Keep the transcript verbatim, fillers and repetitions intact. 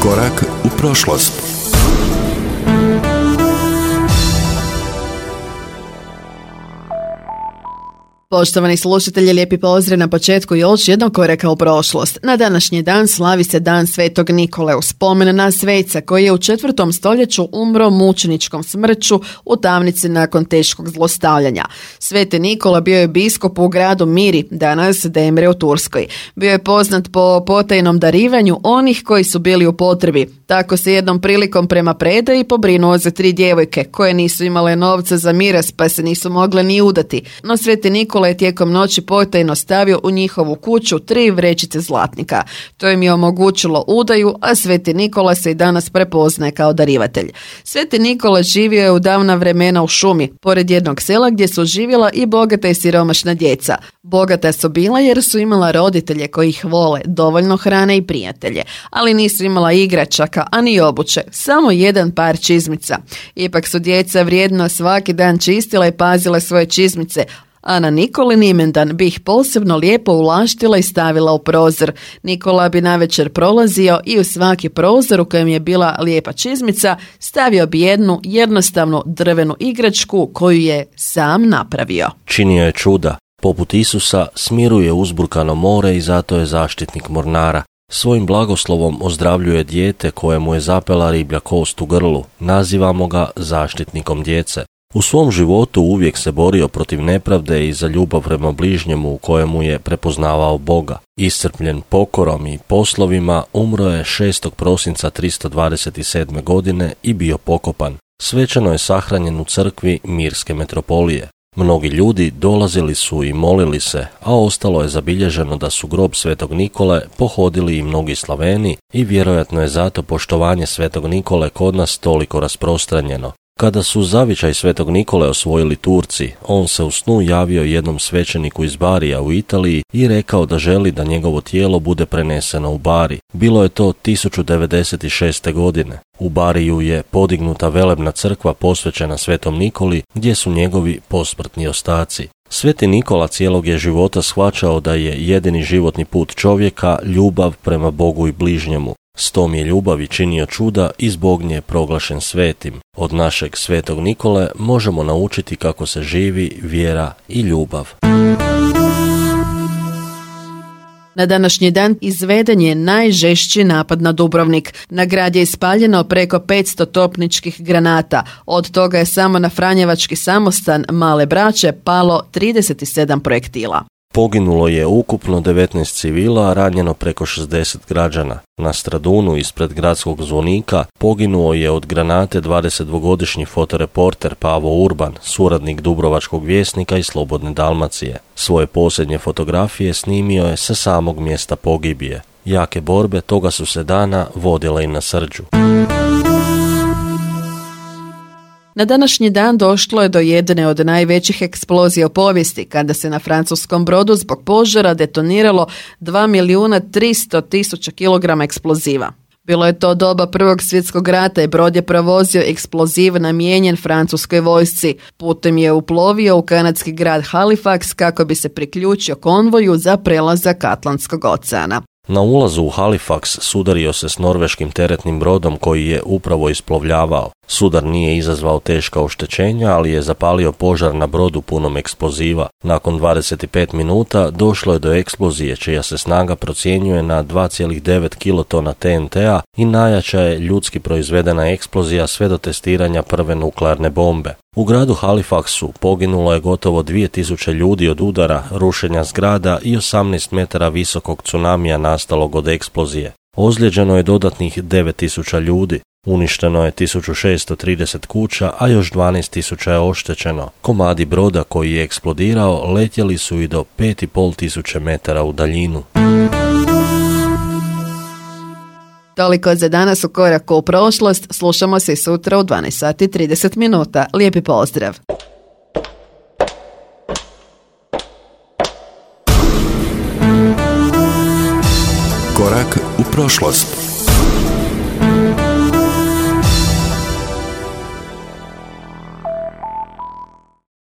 Korak u prošlost. Poštovani slušatelji, lijepi pozdrav na početku još jednog koraka u prošlost. Na današnji dan slavi se dan Svetog Nikole u spomen na sveca koji je u četvrtom stoljeću umro mučeničkom smrću u tamnici nakon teškog zlostavljanja. Sveti Nikola bio je biskup u gradu Miri, danas Demre u Turskoj. Bio je poznat po potajnom darivanju onih koji su bili u potrebi. Tako se jednom prilikom prema predaji pobrinuo za tri djevojke koje nisu imale novca za miras pa se nisu mogle ni udati. No Sveti Nikola je tijekom noći potajno stavio u njihovu kuću tri vrećice zlatnika. To im je omogućilo udaju, a Sveti Nikola se i danas prepoznaje kao darivatelj. Sveti Nikola živio je u davna vremena u šumi, pored jednog sela gdje su živjela i bogata i siromašna djeca. Bogata su bila jer su imala roditelje koji ih vole, dovoljno hrane i prijatelje, ali nisu imala igračaka, a ni obuće, samo jedan par čizmica. Ipak su djeca vrijedno svaki dan čistila i pazila svoje čizmice, a na Nikolin imendan bi ih posebno lijepo ulaštila i stavila u prozor. Nikola bi navečer prolazio i u svaki prozor u kojem je bila lijepa čizmica stavio bi jednu jednostavnu drvenu igračku koju je sam napravio. Činio je čuda. Poput Isusa smiruje uzburkano more i zato je zaštitnik mornara. Svojim blagoslovom ozdravljuje dijete kojemu je zapela riblja kost u grlu. Nazivamo ga zaštitnikom djece. U svom životu uvijek se borio protiv nepravde i za ljubav prema bližnjemu u kojemu je prepoznavao Boga. Iscrpljen pokorom i poslovima, umro je šestog prosinca tristo dvadeset sedme. godine i bio pokopan. Svečano je sahranjen u crkvi Mirske metropolije. Mnogi ljudi dolazili su i molili se, a ostalo je zabilježeno da su grob Svetog Nikole pohodili i mnogi Slaveni i vjerojatno je zato poštovanje Svetog Nikole kod nas toliko rasprostranjeno. Kada su zavičaj Svetog Nikole osvojili Turci, on se u snu javio jednom svećeniku iz Barija u Italiji i rekao da želi da njegovo tijelo bude preneseno u Bari. Bilo je to tisuću devedeset šeste. godine. U Bariju je podignuta velebna crkva posvećena Svetom Nikoli, gdje su njegovi posmrtni ostaci. Sveti Nikola cijelog je života shvaćao da je jedini životni put čovjeka ljubav prema Bogu i bližnjemu. S tom je ljubavi činio čuda i zbog nje je proglašen svetim. Od našeg Svetog Nikole možemo naučiti kako se živi vjera i ljubav. Na današnji dan izveden je najžešći napad na Dubrovnik. Na grad je ispaljeno preko petsto topničkih granata. Od toga je samo na Franjevački samostan Male Braće palo trideset sedam projektila. Poginulo je ukupno devetnaest civila, a ranjeno preko šezdeset građana. Na Stradunu ispred gradskog zvonika poginuo je od granate dvadesetdvogodišnji fotoreporter Pavo Urban, suradnik Dubrovačkog vjesnika i Slobodne Dalmacije. Svoje posljednje fotografije snimio je sa samog mjesta pogibije. Jake borbe toga su se dana vodile i na Srđu. Na današnji dan došlo je do jedne od najvećih eksplozija u povijesti, kada se na francuskom brodu zbog požara detoniralo dva milijuna tristo tisuća kilograma eksploziva. Bilo je to doba Prvog svjetskog rata i brod je provozio eksploziv namijenjen francuskoj vojsci. Putem je uplovio u kanadski grad Halifax kako bi se priključio konvoju za prelazak Atlantskog oceana. Na ulazu u Halifax sudario se s norveškim teretnim brodom koji je upravo isplovljavao. Sudar nije izazvao teška oštećenja, ali je zapalio požar na brodu punom eksploziva. Nakon dvadeset pet minuta došlo je do eksplozije čija se snaga procjenjuje na dva zarez devet kilotona T N T-a i najjača je ljudski proizvedena eksplozija sve do testiranja prve nuklearne bombe. U gradu Halifaxu poginulo je gotovo dvije tisuće ljudi od udara, rušenja zgrada i osamnaest metara visokog tsunamija nastalog od eksplozije. Ozlijeđeno je dodatnih devet tisuća ljudi. Uništeno je tisuću šesto trideset kuća, a još dvanaest tisuća je oštećeno. Komadi broda koji je eksplodirao letjeli su i do pet i pol tisuće metara u daljinu. Toliko za danas u koraku u prošlost. Slušamo se sutra u dvanaest sati i trideset minuta. Lijepi pozdrav! Korak u prošlost.